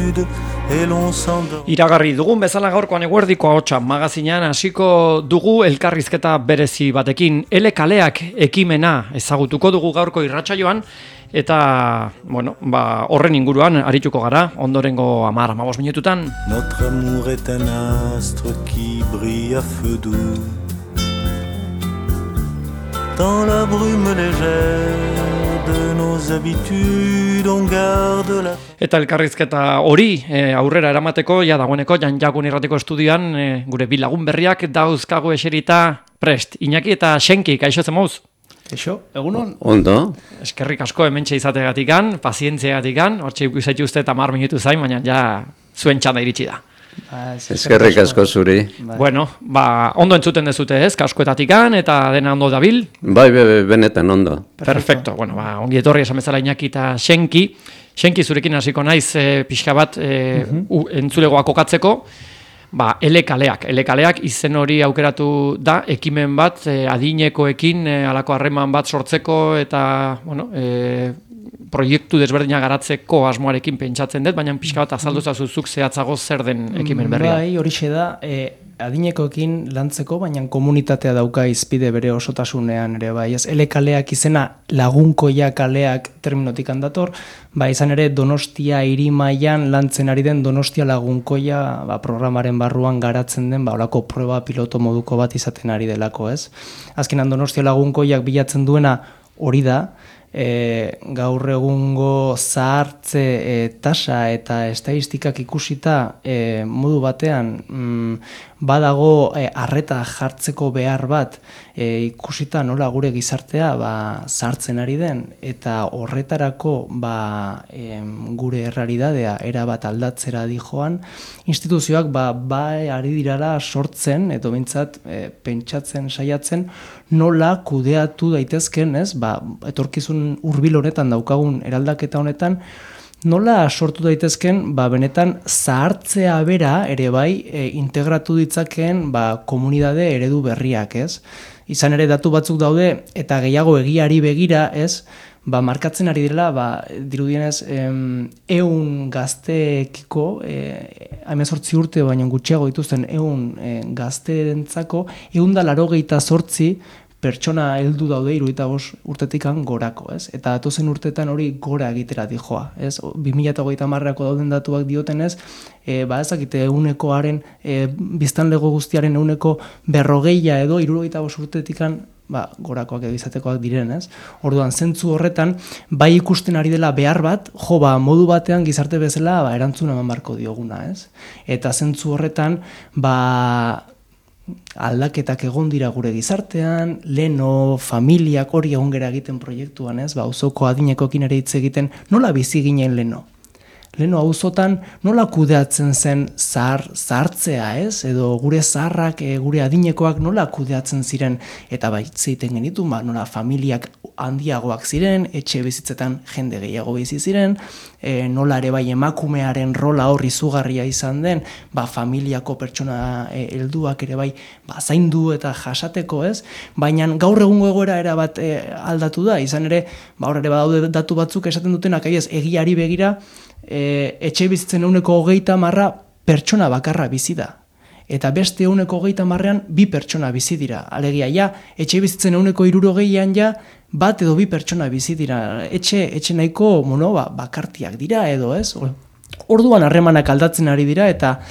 nude et l'on s'endort. Iragarri dugun bezala gaurkoan eguerdiko ahotsa magazinean hasiko dugu elkarrizketa berezi batekin. Ele kaleak ekimena ezagutuko dugu gaurko irratsaioan eta horren inguruan arituko gara ondorengo 10-15 minututan. Notre amour est un astre qui brille à feu doux dans la brume légère de nos habitudes on garde la. Eta elkarrizketa hori aurrera eramateko dagoeneko Janjakun irratiko estudioan gure bi lagun berriak dauzkagu eserita prest. Iñaki eta Xenki, kaixo zemoz? Kaixo, egunon? Ondo. Eskerrik asko hementxe izateagatikan, pazientziagatikan, hortxe ikusetxe uste 10 minutu zain, baina ja zuen txanda iritsi da. Eskerrik asko zuri. Bueno, ondo entzuten dezute ez, kaskoetatikan eta dena ondo dabil? Bai, benetan ondo. Perfecto, ongi etorri esan bezala Iñaki eta Xenki. Xenki zurekin hasiko naiz pixka bat entzulegoa kokatzeko. Ele kaleak izen hori aukeratu da, ekimen bat, adinekoekin halako harreman bat sortzeko eta, proiektu desberdina garatzeko asmoarekin pentsatzen dut, baina pixka bat azaldu zazuzuk zehatzago zer den ekimen berria. Bai, horixe da, adinekoekin lantzeko, baina komunitatea dauka izpide bere osotasunean ere, bai, ez, ele kaleak izena lagunkoia kaleak terminotik handator, izan ere Donostia hirimailan lantzen ari den Donostia lagunkoia programaren barruan garatzen den holako proba piloto moduko bat izaten ari delako, ez? Azkenan Donostia lagunkoiak bilatzen duena hori da, gaur egungo zahartze tasa eta estatistikak ikusita modu batean badago arreta jartzeko behar bat ikusita nola gure gizartea zahartzen ari den eta horretarako gure errealitatea erabat aldatzera dijoan instituzioak ari dirala sortzen edo behintzat pentsatzen saiatzen nola kudeatu daitezken, ez? Etorkizun hurbil honetan daukagun eraldaketa honetan nola sortu daitezken benetan zahartzea bera ere integratu ditzakeen komunitate eredu berriak, ez? Izan ere datu batzuk daude eta gehiago egiari begira, ez? Markatzen ari direla, dirudienez 100 gazteekiko 18 urte baino gutxiago dituzten 100 gazteentzako 188 pertsona heldu daude 75 urtetikan gorako, ez? Eta datozen urtetan hori gora egitera dijoa, ez? 2030ako dauden datuak diotenez, ezakite 100koaren biztanlego guztiaren 140 edo 75 urtetikan gorakoak edo izatekoak direnez. Orduan, zentzu horretan, ikusten ari dela behar bat, modu batean gizarte bezala erantzun eman barko dioguna, ez? Eta zentzu horretan, aldaketak egon dira gure gizartean, leno, familiak hori egon gera egiten proiektuan, ez? Auzoko adinekoekin ere hitz egiten, nola bizi ginen leno? Leno auzotan nola kudeatzen zen zahartzea, ez? Edo gure zaharrak, gure adinekoak nola kudeatzen ziren eta zeiten genitu, nola familiak handiagoak ziren, etxe bizitzetan jende gehiago bizi ziren, nola ere emakumearen rola hor izugarria izan den, familiako pertsona helduak ere zaindu eta jasateko, ez? Baina gaur egungo egoera erabat aldatu da, izan ere, hor ere badaude datu batzuk esaten dutenak, egiari begira, etxe bizitzen 30% pertsona bakarra bizi da. Eta beste 30%an 2 pertsona bizi dira. Alegia, etxe bizitzen 60%an bat edo 2 pertsona bizi dira. Etxe nahiko bakartiak dira edo, ez? Orduan harremanak aldatzen ari dira eta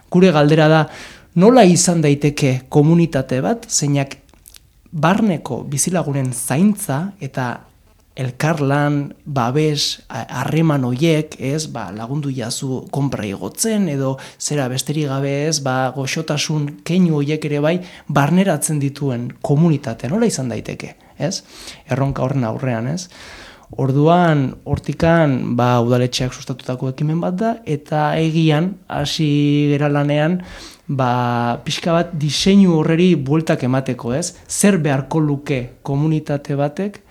gure galdera da nola izan daiteke komunitate bat, zeinak barneko bizilagunen zaintza eta elkarlan, babes, harreman hoiek, ez, lagundu jazu konpra igotzen, edo zera besterik gabe ez, goxotasun keinu hoiek ere barneratzen dituen komunitatea, nola izan daiteke, ez? Erronka horren aurrean, ez? Orduan, hortikan, udaletxeak sustatutako ekimen bat da, eta egian, hasi gera lanean, pixka bat diseinu horreri bueltak emateko, ez? Zer beharko luke komunitate batek,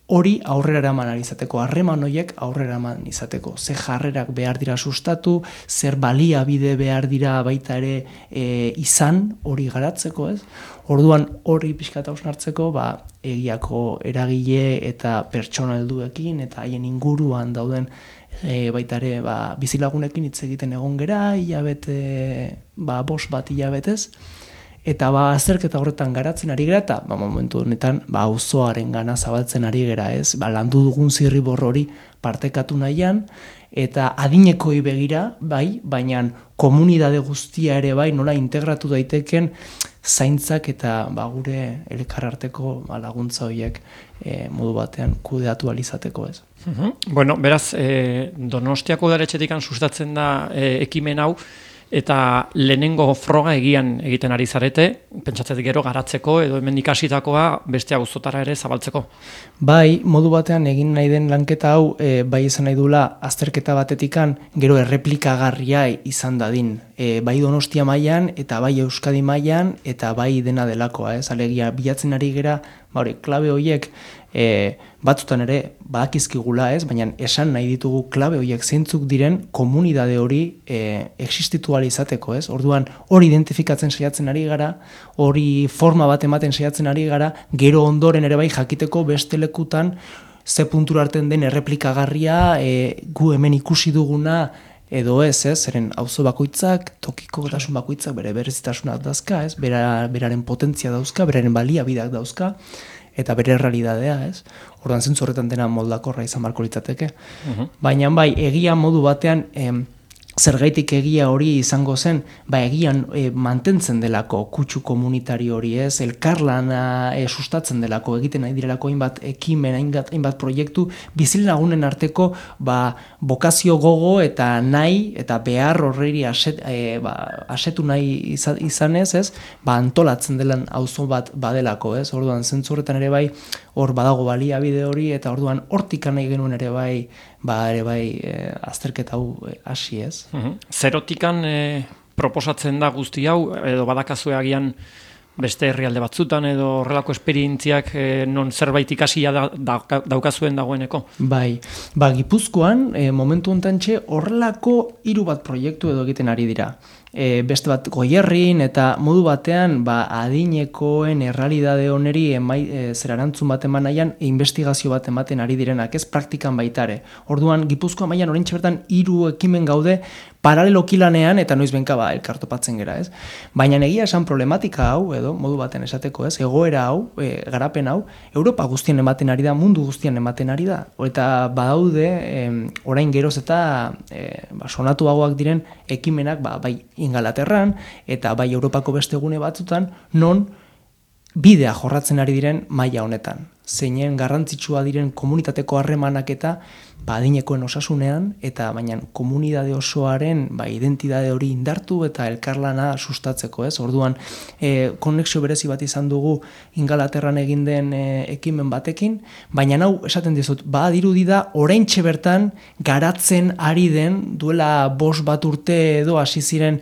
hori aurrera eraman izateko, harreman horiek aurrera eraman izateko. Ze jarrerak behar dira sustatu, zer baliabide behar dira baita ere izan hori garatzeko, ez? Orduan hori pixkat hausnartzeko, egiako eragile eta pertsona helduekin eta haien inguruan dauden baita ere bizilagunekin hitz egiten egon gera, hilabete, 5 bat hilabetez, eta azterketa horretan garatzen ari gera, eta momentu honetan auzoaren gana zabaltzen ari gera, ez? Landu dugun zirribor hori partekatu nahian, eta adinekoi begira, bai, baina komunidade guztia ere bai, nola integratu daiteken zaintzak eta gure elkararteko laguntza horiek modu batean kudeatu alizateko, ez? Bueno, beraz, Donostiako udaletxetik sustatzen da ekimen hau, eta lehenengo froga egian egiten ari zarete, pentsatzetik gero garatzeko edo hemen ikasitakoa beste auzotara ere zabaltzeko. Bai, modu batean egin nahi den lanketa hau, bai izan nahi dula azterketa batetikan gero erreplikagarria izan dadin. Bai Donostia mailan eta bai Euskadi mailan eta bai dena delakoa, ez? Alegia bilatzen ari gera, klabe horiek batzutan ere badakizkigula, ez? Baina esan nahi ditugu klabe horiek zeintzuk diren komunidade hori existitu ahal izateko, ez? Orduan hori identifikatzen saiatzen ari gara, hori forma bat ematen saiatzen ari gara, gero ondoren ere bai jakiteko beste lekutan ze puntura arten den erreplikagarria, gu hemen ikusi duguna edo ez, zeren auzo bakoitzak, tokiko gotasun bakoitzak bere berezitasunak dauzka, ez? Beraren potentzia dauzka, beraren baliabideak dauzka, eta bere realidadea, ez? Orduan zentzu horretan dena moldakorra izan barko litzateke. Baina bai, egia modu batean, zergaitik egia hori izango zen, egian mantentzen delako kutsu komunitari hori, ez? Elkarlana sustatzen delako, egiten nahi direlako hainbat ekimen, hainbat proiektu, bizilagunen arteko bokazio gogo eta nahi, eta behar horreri asetu nahi izanez, ez? Antolatzen delan auzo bat badelako, ez? Orduan zentzu horretan ere bai, hor badago baliabide hori, eta orduan hortik nahi genuen ere bai, azterketa hau hasi, ez? Zerotikan proposatzen da guzti hau, edo badakazue agian beste herrialde batzutan, edo horrelako esperientziak non zerbait ikasia daukazuen dagoeneko? Bai, Gipuzkoan momentu hontantxe horrelako 3 bat proiektu edo egiten ari dira. Beste bat Goierrin eta modu batean adinekoen errealidade oneri zerarantzun bat eman nahian investigazio bat ematen ari direnak, ez praktikan baitare. Orduan Gipuzkoa mailan oraintxe bertan 3 ekimen gaude paraleloki lanean eta noizbenka elkartopatzen gera, ez? Baina egia esan problematika hau edo modu baten esateko, ez? Egoera hau, garapen hau Europa guztien ematen ari da, mundu guztien ematen ari da. Eta badaude orain geroz eta sonatuagoak diren ekimenak bai Ingalaterran eta bai Europako beste gune batzutan non bidea jorratzen ari diren maila honetan. Zeinen garrantzitsua diren komunitateko harremanak eta adinekoen osasunean eta baina komunidade osoaren identitate hori indartu eta elkarlana sustatzeko, ez? Orduan konexio berezi bat izan dugu Ingalaterran egin den ekimen batekin, baina hau esaten dizut, badirudi da oraintxe bertan garatzen ari den duela 5 bat urte edo hasi ziren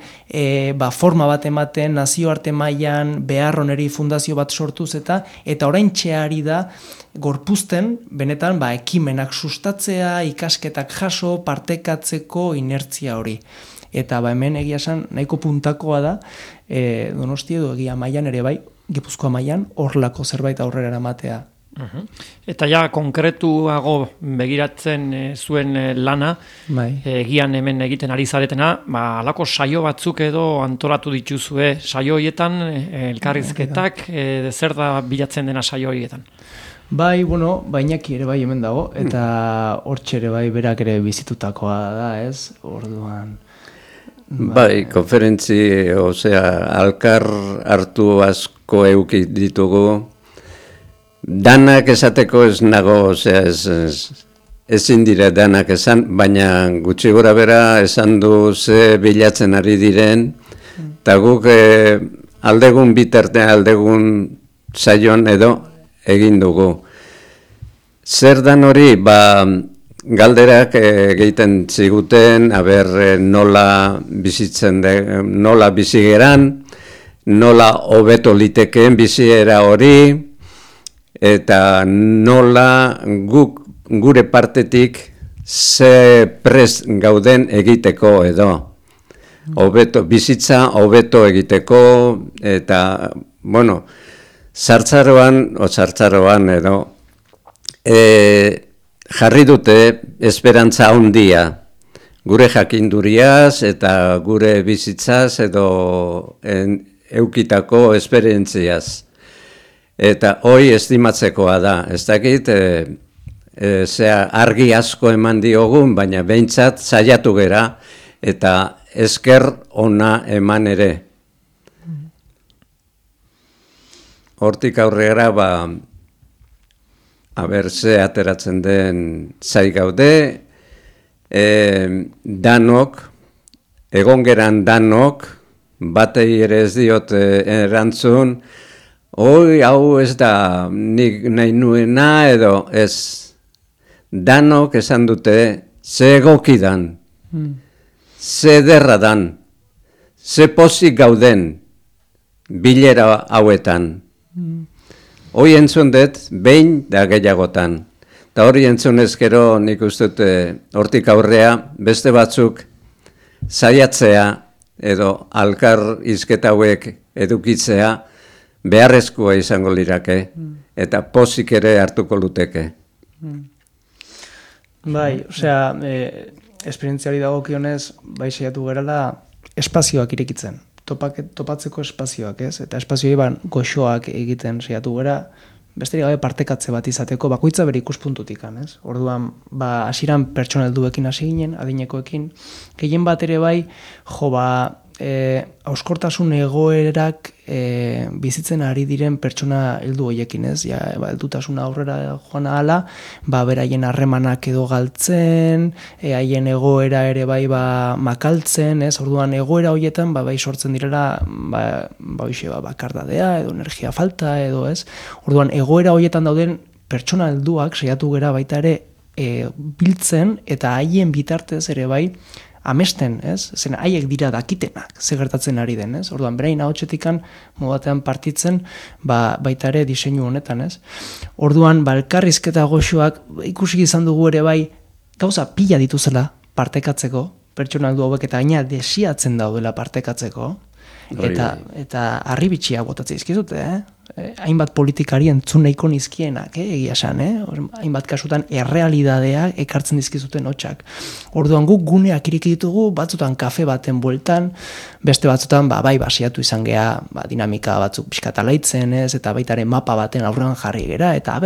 forma bat ematen nazioarte mailan behar oneri fundazio bat sortuz eta oraintxe ari da gorpuzten, benetan, ekimenak sustatzea, ikasketak jaso, partekatzeko inertzia hori. Eta hemen egia esan nahiko puntakoa da, Donostia edo egia mailan ere bai, Gipuzkoa mailan, horlako zerbait aurrera eramatea. Eta ja, konkretuago begiratzen zuen lana, egian hemen egiten ari zaretena, alako saio batzuk edo antolatu dituzue saio horietan, elkarrizketak, zer da bilatzen dena saio horietan? Bai, bainaki ere bai hemen dago, eta hortxe ere bai berak ere bizitutakoa da, ez? Orduan... Bai, konferentzi, alkar hartu asko euki ditugu, danak esateko ez nago, ezin dire danak esan, baina gutxi gora bera esan du ze bilatzen ari diren, eta guk aldegun bitartean, aldegun saion edo egin dugu. Zer dan hori, galderak egiten ziguten, nola bizitzen, nola bizigeran, nola hobeto litekeen biziera hori, eta nola gure partetik ze prest gauden egiteko edo. Bizitza hobeto egiteko, eta, zartzaroan edo, jarri dute esperantza handia gure jakinduriaz eta gure bizitzaz edo eukitako esperientziaz. Eta hoi estimatzekoa da, ez dakit, argi asko eman diogun, baina behintzat saiatu gera eta esker ona eman ere. Hortik aurrera, ze ateratzen den zai gaude, danok, egon geran danok, batei ere ez diot erantzun, hau ez da nik nahi nuena edo ez. Danok esan dute ze egokidan, ze ederra dan, ze pozik gauden bilera hauetan. Hoi entzun dut behin da gehiagotan. Eta hori entzun ezkero nik uste dut hortik aurrea beste batzuk saiatzea edo alkar hizketa hauek edukitzea beharrezkoa izango lirake eta pozik ere hartuko luteke. Bai, osea, esperientziari dagokionez, bai saiatu gerala espazioak irekitzen. Topatzeko espazioak, ez? Eta espazioa goxoak egiten saiatu gera, besterik gabe partekatze bat izateko, bakoitza bere ikuspuntutik, ez? Orduan, hasieran pertsona helduekin hasi ginen, adinekoekin, gehien bat ere bai, hauskortasun egoerak bizitzen ari diren pertsona heldu hoiekin, ez? Heldutasuna aurrera joan ahala, beraien harremanak edo galtzen, haien egoera ere bai makaltzen, ez? Orduan egoera hoietan bai sortzen direla bakardadea edo energia falta edo, ez? Orduan egoera hoietan dauden pertsona helduak saiatu gera baita ere biltzen eta haien bitartez ere bai amesten, ez? Zen haiek dira dakitenak, ze gertatzen ari den, ez? Orduan, berain ahotsetikan modatean partitzen, baita ere diseinu honetan, ez? Orduan, elkarrizketa goxoak ikusi izan dugu ere bai, gauza pila dituzela partekatzeko, pertsona heldu hauek eta gaina desiatzen daudela partekatzeko, eta harribitxia botatzea izkizute, hainbat politikari entzun nahiko nizkienak, egia esan, hainbat kasutan errealidadea ekartzen dizkizuten hotxak. Orduan guk guneak iriki ditugu, batzutan kafe baten bueltan, beste batzutan basiatu izan gea, dinamika batzuk pixkatalaitzen, eta baitaren mapa baten aurrean jarri gera, eta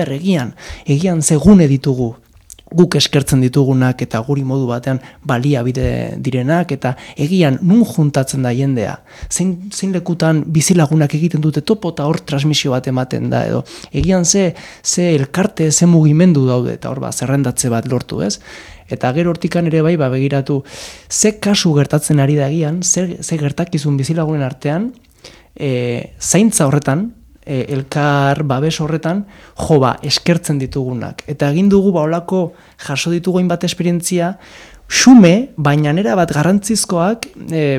egian ze gune ditugu, guk eskertzen ditugunak eta guri modu batean baliabide direnak eta egian nun juntatzen da jendea. Zein lekutan bizilagunak egiten dute topo eta hor transmisio bat ematen da edo. Egian ze elkarte, ze mugimendu daude eta hor zerrendatze bat lortu, ez? Eta gero hortikan ere bai begiratu ze kasu gertatzen ari da egian, ze gertakizun bizilagunen artean, zaintza horretan, elkar babes horretan eskertzen ditugunak. Eta egin dugu olako jaso ditugu hainbat esperientzia xume, baina nera bat garrantzizkoak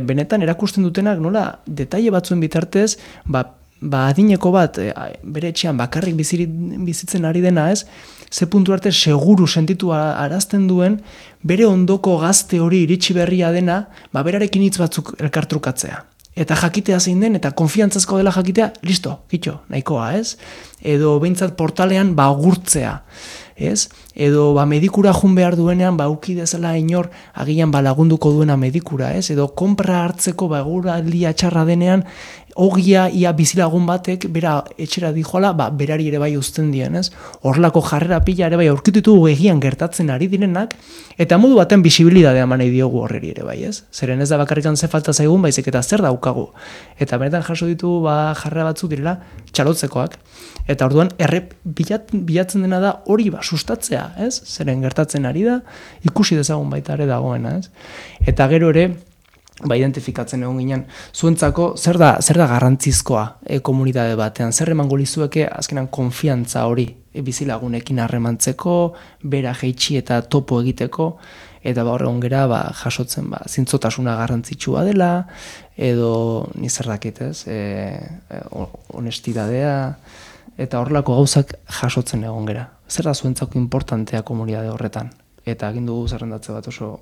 benetan erakusten dutenak nola detaile batzuen bitartez adineko bat bere etxean bakarrik bizitzen ari dena, ez? Ze puntu arte seguru sentitu arazten duen bere ondoko gazte hori iritsi berria dena berarekin hitz batzuk elkartrukatzea. Eta jakitea zein den, eta konfiantzazko dela jakitea, listo, kitxo, nahikoa, ez? Edo behintzat portalean agurtzea, ez? Edo medikura jun behar duenean uki dezala inor agian lagunduko duena medikura, ez? Edo konpra hartzeko eguraldia txarra denean ogia ia bizilagun batek bera etxera dijoala, berari ere bai uzten dien, ez? Horlako jarrera pila ere bai aurkitu ditugu egian gertatzen ari direnak, eta modu baten bisibilidadea eman nahi diogu horreri ere bai, ez? Zeren ez da bakarrikan ze falta zaigun, baizik eta zer daukagu. Eta benetan jaso ditugu jarrera batzuk direla txalotzekoak. Eta orduan bilatzen dena da hori sustatzea, ez? Zeren gertatzen ari da, ikusi dezagun baita ere dagoena, ez? Eta gero ere, identifikatzen egon ginen, zuentzako zer da garrantzizkoa komunitate batean, zer emango lizueke azkenan konfiantza hori bizilagunekin harremantzeko, bera jeitsi eta topo egiteko, eta horregon gera jasotzen zintzotasuna garrantzitsua dela, edo nizerdakit, ez? Honestidadea, eta horrelako gauzak jasotzen egon gera. Zer da zuentzako importantea komunitate horretan? Eta egin dugu zerrendatze bat oso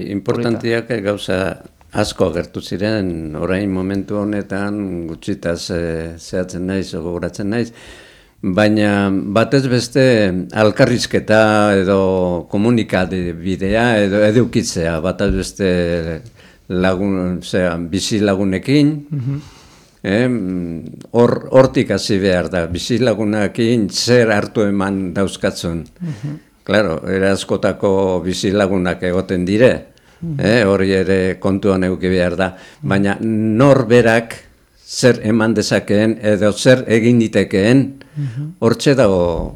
importantiak gauza asko agertu ziren, orain momentu honetan gutxitaz zehatzen naiz, gogoratzen naiz, baina batez beste alkarrizketa edo komunikade bidea edo edukitzea, batez beste bizi lagunekin, hortik hasi behar da, bizi lagunekin zer hartu eman dauzkatzun. Claro, askotako bizi lagunak egoten dire, hori ere kontuan eduki behar da, baina norberak zer eman dezakeen edo zer egin ditekeen, hortxe dago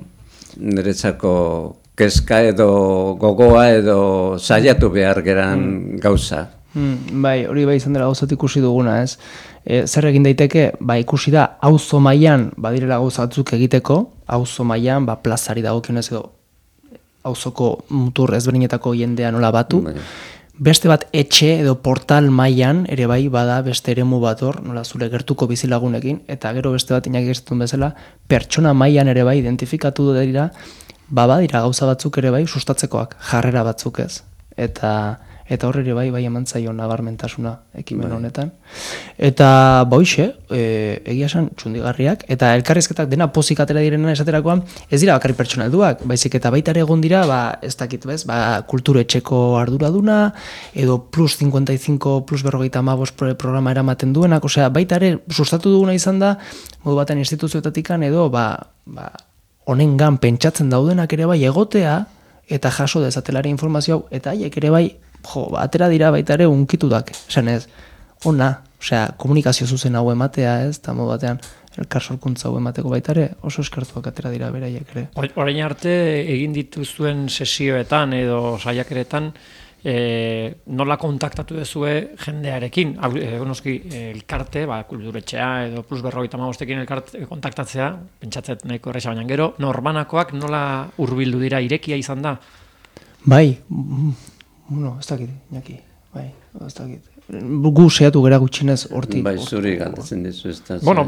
niretzako kezka edo gogoa edo saiatu behar geran gauza. Bai, hori bai izan dela gauzat ikusi duguna, ez? Zer egin daiteke, ikusi da, auzo mailan badirela gauza batzuk egiteko, auzo mailan plazari dagokionez edo auzoko mutur ezberdinetako jendea nola batu, beste bat etxe edo portal mailan ere bai bada beste eremu bat hor, nola zure gertuko bizilagunekin, eta gero beste bat Iñaki esaten bezala, pertsona mailan ere bai identifikatu dira, badira gauza batzuk ere bai sustatzekoak, jarrera batzuk ez. Eta hor ere bai eman zaio nabarmentasuna ekimen honetan. Eta hoxe, egia esan txundigarriak, eta elkarrizketak dena pozik atera direnen esaterakoan, ez dira bakarrik pertsona helduak, baizik eta baita ere egon dira, ez dakit bez, kulturetxeko arduraduna, edo plus 55, plus 55 programa eramaten duenak, osea, baita ere sustatu duguna izan da, modu batean instituzioetatikan edo, honengan pentsatzen daudenak ere bai egotea, eta jaso dezatelari informazio hau, eta haiek ere bai, atera dira baita ere unkitudak, esan ez, ona, osea, komunikazio zuzen hau ematea ez, eta modu batean elkar sorkuntza hau emateko baita ere, oso eskertuak atera dira beraiek ere. Orain arte egin dituzuen sesioetan edo saiakeretan, nola kontaktatu duzue jendearekin, noski elkarte, kulturetxea edo plus 55ekin elkarte kontaktatzea, pentsatzet nahiko erresa baina gero, norbanakoak nola hurbildu dira, irekia izan da? Bai, ez dakit, Iñaki, ez dakit. Gu seiatu gera gutxinez hortik. Bai, zuri galdetzen dizu ez da. Bueno,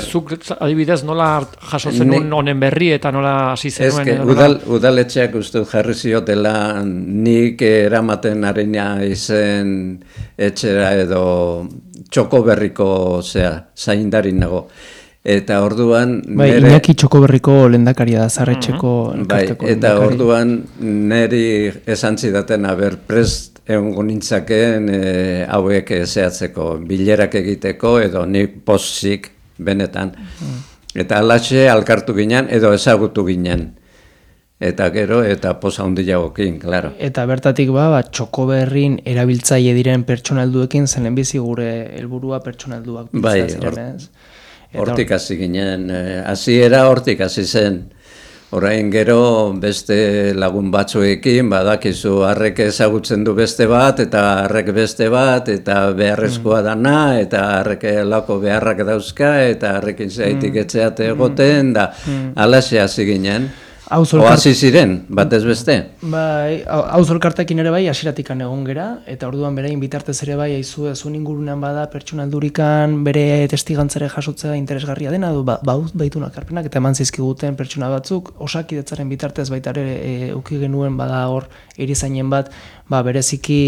zuk adibidez nola jaso zenuen honen berri eta nola hasi zenuen? Udaletxeak uste jarri ziotela nik eramaten arena izen etxera edo txoko berriko zaindarin nago. Eta orduan... Iñaki Txokoberriko lehendakaria da, Zarretxeko elkarteko lehendakaria. Eta orduan niri esan zidaten prest egongo nintzakeen hauek zehatzeko, bilerak egiteko edo nik pozik benetan. Eta alaxe alkartu ginen edo ezagutu ginen. Eta gero, eta poza handiagokin, klaro. Eta bertatik Txokoberrin erabiltzaile diren pertsona helduekin zen lehenbizi gure helburua pertsona helduak. Bai, hortik hasi ginen, hasiera hortik hasi zen. Orain gero beste lagun batzuekin, badakizu harrek ezagutzen du beste bat, eta harrek beste bat, eta beharrezkoa dana, eta harrek lako beharrak dauzka, eta harrekin zaitik etxeate egoten, da alaxe hasi ginen. Oasi ziren, batez beste. Bai, auzolkartekin ere bai, hasieratikan egon gera, eta orduan berain bitartez ere bai, zuen ingurunean bada, pertsona heldurikan, bere testigantzare jasotzea interesgarria dena, baitunak arpenak, eta eman zizkiguten pertsona batzuk, osakidetzaren bitartez baita ere uki genuen bada hor erizainen bat, bereziki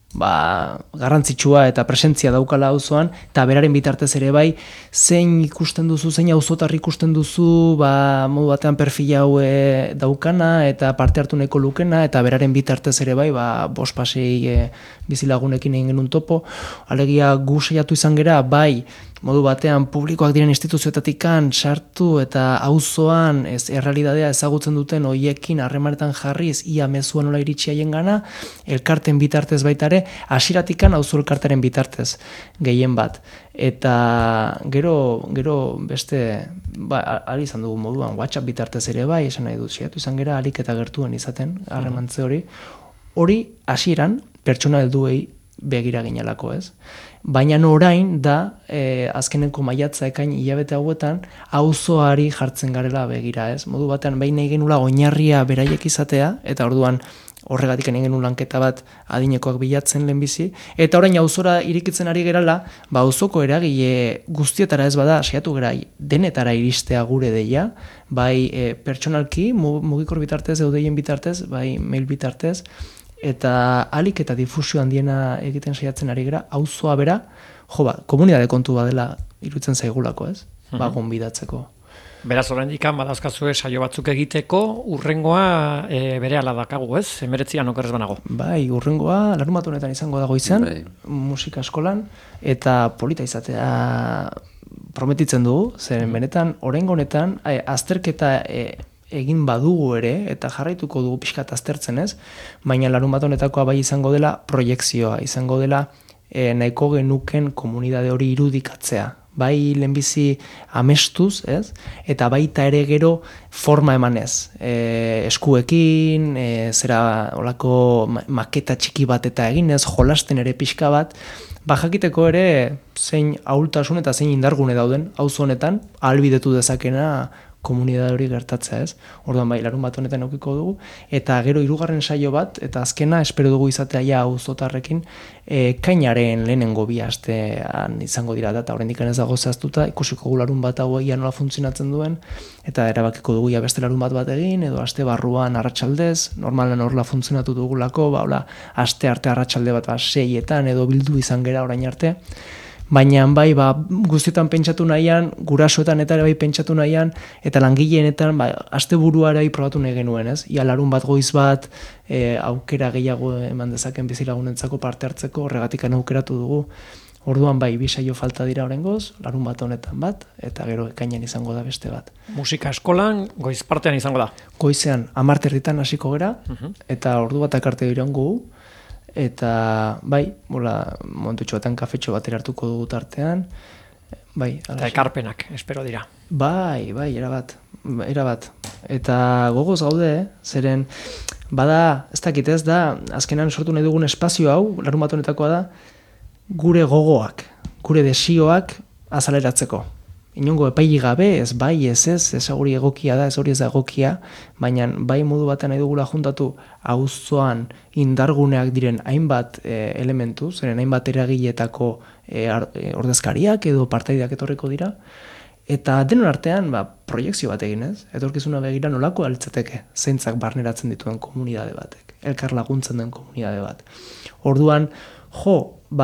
garrantzitsua eta presentzia daukala auzoan, eta beraren bitartez ere bai, zein ikusten duzu, zein auzotar ikusten duzu, modu batean perfil hau daukana, eta parte hartu nahiko lukena, eta beraren bitartez ere bai, 5-6 bizilagunekin egin genuen topo, alegia gu saiatu izan gera, bai, modu batean publikoak diren instituzioetatikan sartu eta auzoan errealitatea ezagutzen duten hoiekin harremanetan jarriz ia mezua nola iritsi haien gana, elkarten bitartez baita ere, hasieratikan auzo elkarteren bitartez gehien bat. Eta gero beste, ari izan dugu moduan, WhatsApp bitartez ere bai, esan nahi dut, saiatu izan gera alik eta gertuen izaten, harremantze hori hasieran pertsona helduei begira ginelako, ez? Baina orain da, azkeneko maiatza ekain hilabete hauetan, auzoari jartzen garela begira, ez? Modu batean, behin nahi genula oinarria beraiek izatea, eta orduan horregatik egin genuen lanketa bat adinekoak bilatzen lehenbizi, eta orain auzora irikitzen ari gerala, auzoko eragile guztietara ez bada, saiatu gara denetara iristea gure deia, bai pertsonalki, mugikor bitartez, eudeien bitartez, bai mail bitartez, eta alik eta difusio handiena egiten saiatzen ari gara, auzoa bera, komunitate kontu badela iruditzen zaigulako, ez? Gonbidatzeko. Beraz, oraindik badauzkazue saio batzuk egiteko, urrengoa berehala dakagu, ez? 19an okerrez banago. Bai, urrengoa larunbat honetan izango dago izan, Bai. musika eskolan, eta polita izatea prometitzen dugu, zeren benetan, oraingo honetan, azterketa egin badugu ere, eta jarraituko dugu pixkat aztertzen ez, baina larunbat honetakoa bai izango dela proiekzioa, izango dela nahiko genuken komunidade hori irudikatzea. Bai lehenbizi amestuz, ez? Eta baita ere gero forma emanez. Eskuekin, zera olako maketa txiki bat eta eginez, jolasten ere pixka bat, jakiteko ere zein ahultasun eta zein indargune dauden, auzo honetan, ahalbidetu dezakena komunidade hori gertatzea, ez? Orduan bai, larunbat honetan aukiko dugu, eta gero hirugarren saio bat, eta azkena espero dugu izatea ja auzotarrekin, kainaren lehenengo bi astean izango dira da, eta oraindik ez dago zehaztuta, ikusiko gu larunbat hau egia nola funtzionatzen duen, eta erabakiko dugu ja beste larunbat bat egin, edo aste barruan arratsaldez, normalan horla funtzionatu dugulako, aste arte arratsalde bat 6etan edo bildu izan gera orain arte, baina bai, guztietan pentsatu nahian, gurasoetan eta ere bai pentsatu nahian, eta langileenetan, asteburua ere bai probatu nahi genuen, ez? Ia larun bat goiz bat, aukera gehiago eman dezaken bizilagunentzako parte hartzeko, horregatik aukeratu dugu. Orduan bai, 2 saio falta dira oraingoz, larun bat honetan bat, eta gero ekainean izango da beste bat. Musika eskolan, goiz partean izango da. Goizean, 10:00 hasiko gera, eta ordu batak arte iraungo gu, eta bai, momentutxo batean kafetxo bat hartuko dugu tartean, bai. Eta ekarpenak, espero dira. Bai, erabat. Eta gogoz gaude, zeren, bada, ez dakit ez da, azkenan sortu nahi dugun espazio hau, larunbat honetakoa da, gure gogoak, gure desioak azaleratzeko. Inongo epaili gabe, ez bai, ez hori egokia da, ez hori ez da egokia, baina bai modu batean nahi dugula juntatu auzoan indarguneak diren hainbat elementu, zeren hainbat eragiletako ordezkariak edo partaideak etorriko dira, eta denon artean proiekzio bat egin ez, etorkizuna begira nolako alitzateke zeintzak barneratzen dituen komunidade batek, elkar laguntzen den komunidade bat. Orduan,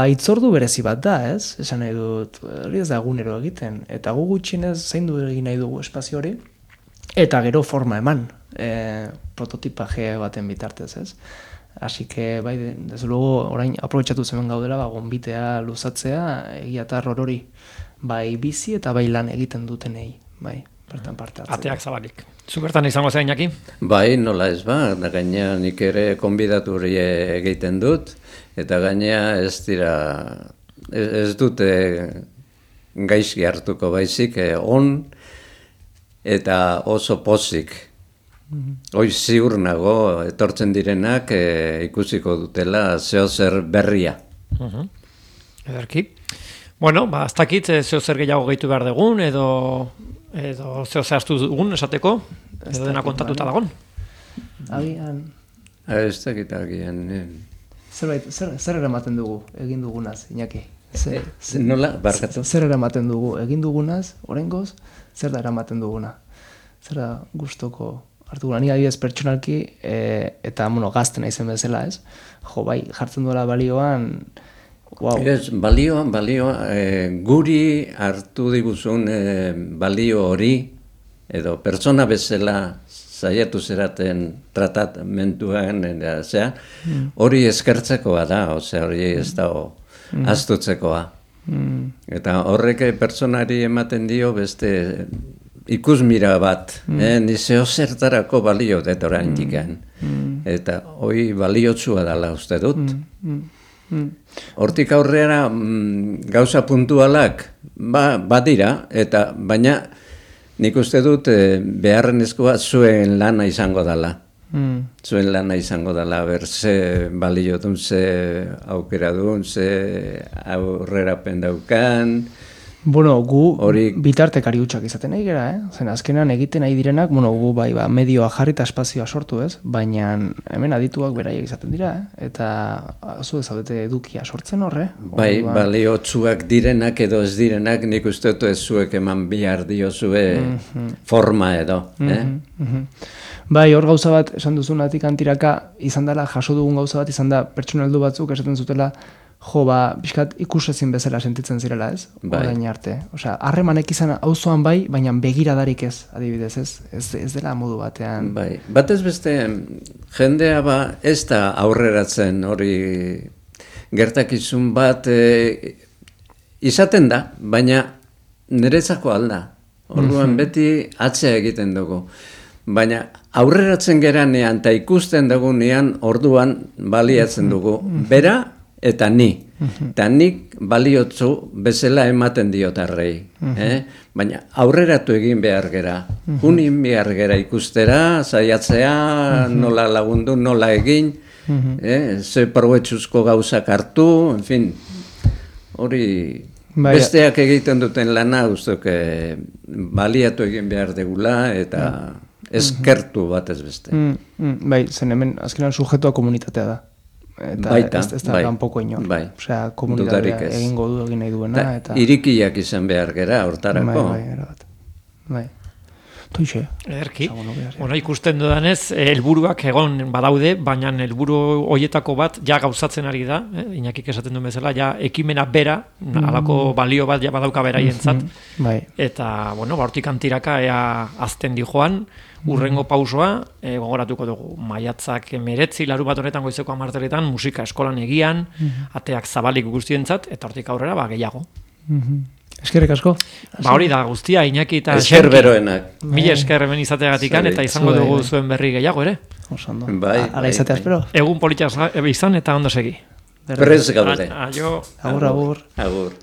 itzordu berezi bat da, ez? Esan nahi dut, hori ez da egunero egiten. Eta gu gutxienez zaindu egin nahi dugu espazio hori, eta gero forma eman, prototipaje baten bitartez, ez? Así que, bai, desde luego, orain aprobetxatu zemen gaudela, gonbitea luzatzea, egiatar hori, bai bizi eta bai lan egiten dutenei, bai, bertan parte hartzea. Ateak zabalik. Zubertan izango zen, Iñaki? Bai, nola ez ba, da gaina nik ere konbidatu hori egiten dut, eta gaina ez dute gaizki hartuko baizik, on eta oso pozik. Hoi ziur nago, etortzen direnak ikusiko dutela zeozer berria. Ederki. Bueno, ez dakit zeozer gehiago gehitu behar dugun, edo zeozer hartu dugun esateko, edo dena kontatuta dagon. Agian... Ez dakit agian... Zer eramaten dugu egin dugunaz, Iñaki? Nola, barkatu? Zer eramaten dugu egin dugunaz, oraingoz, zer da eramaten duguna? Zer da gustoko hartu gula? Ni adibidez pertsonalki, eta gazten naizen bezala, ez? Bai, jartzen duela balioan... Ez, balioan, guri hartu diguzun balio hori, edo pertsona bezala zaiatu zeraten tratamentuan, hori eskertzekoa da, hori ez da aztutzekoa. Eta horrek pertsonari ematen dio beste ikusmira bat, nizeo zertarako balio dut orain diken. Eta hori baliotsua dela uste dut. Hortik aurrera gauza puntualak badira, baina nik uste dut beharrenezkoa zuen lana izango dela. Zuen lana izango dela, ze balio duen, ze aukera duen, ze aurrerapen daukan. Bueno, gu bitartekari hutsak izaten nahi gara, Zen azkenan egiten nahi direnak, gu medioa jarri eta espazioa sortu, ez? Baina hemen adituak beraiek izaten dira, Eta zu ezaudete edukia sortzen horre. Bai, baliotsuak direnak edo ez direnak, nik uste dut ez zuek eman bihar diozue forma edo. Bai, hor gauza bat, esan duzunatik antiraka, izan dela, jaso dugun gauza bat, izan da pertsona heldu batzuk esaten zutela, pixkat ikusezin bezala sentitzen zirela, ez? Bai. Orain arte. Osea, harremanek izan auzoan bai, baina begiradarik ez, adibidez, ez? Ez dela modu batean. Bai, batez beste jendea ez da aurreratzen hori gertakizun bat izaten da, baina niretzako alda. Orduan beti atzea egiten dugu. Baina aurreratzen geranean eta ikusten dugunean orduan baliatzen dugu. Bera eta ni. Eta nik baliotzu bezala ematen diotarrei. Baina aurreratu egin behar gera. Junin behar gera ikustera, saiatzea, nola lagundu, nola egin, ze provetxuzko gauzak hartu, en fin, hori besteak egiten duten lana, ustok, baliatu egin behar degula, eta eskertu batez beste. Bai, zen hemen azkenan sujetua komunitatea da. Eta Baita, ez da kanpoko inor. Bai. Osea, komunitatea egingo du egin nahi duena. Eta irikiak izan behar gera, hortarako. Bai. Toixe. Ederki. Ikusten dudanez, helburuak egon badaude, baina helburu hoietako bat ja gauzatzen ari da, Iñakik esaten duen bezala, ja ekimena bera, halako balio bat ja badauka beraientzat. Bai. Eta, hortik antiraka ea azten di joan, urrengo pausoa, gogoratuko dugu, maiatzak 19, larunbat honetan goizeko 10 musika eskolan egian, ateak zabalik guztientzat, eta hortik aurrera gehiago. Eskerrik asko. Hori da guztia, Iñaki eta Esker beroenak. Mila esker hemen izateagatikan, eta izango dugu zuen berri gehiago ere. Osondo. Ala izatea espero. Egun politia izan eta ondo segi. Prez gaude. Aio. Agur. Agur.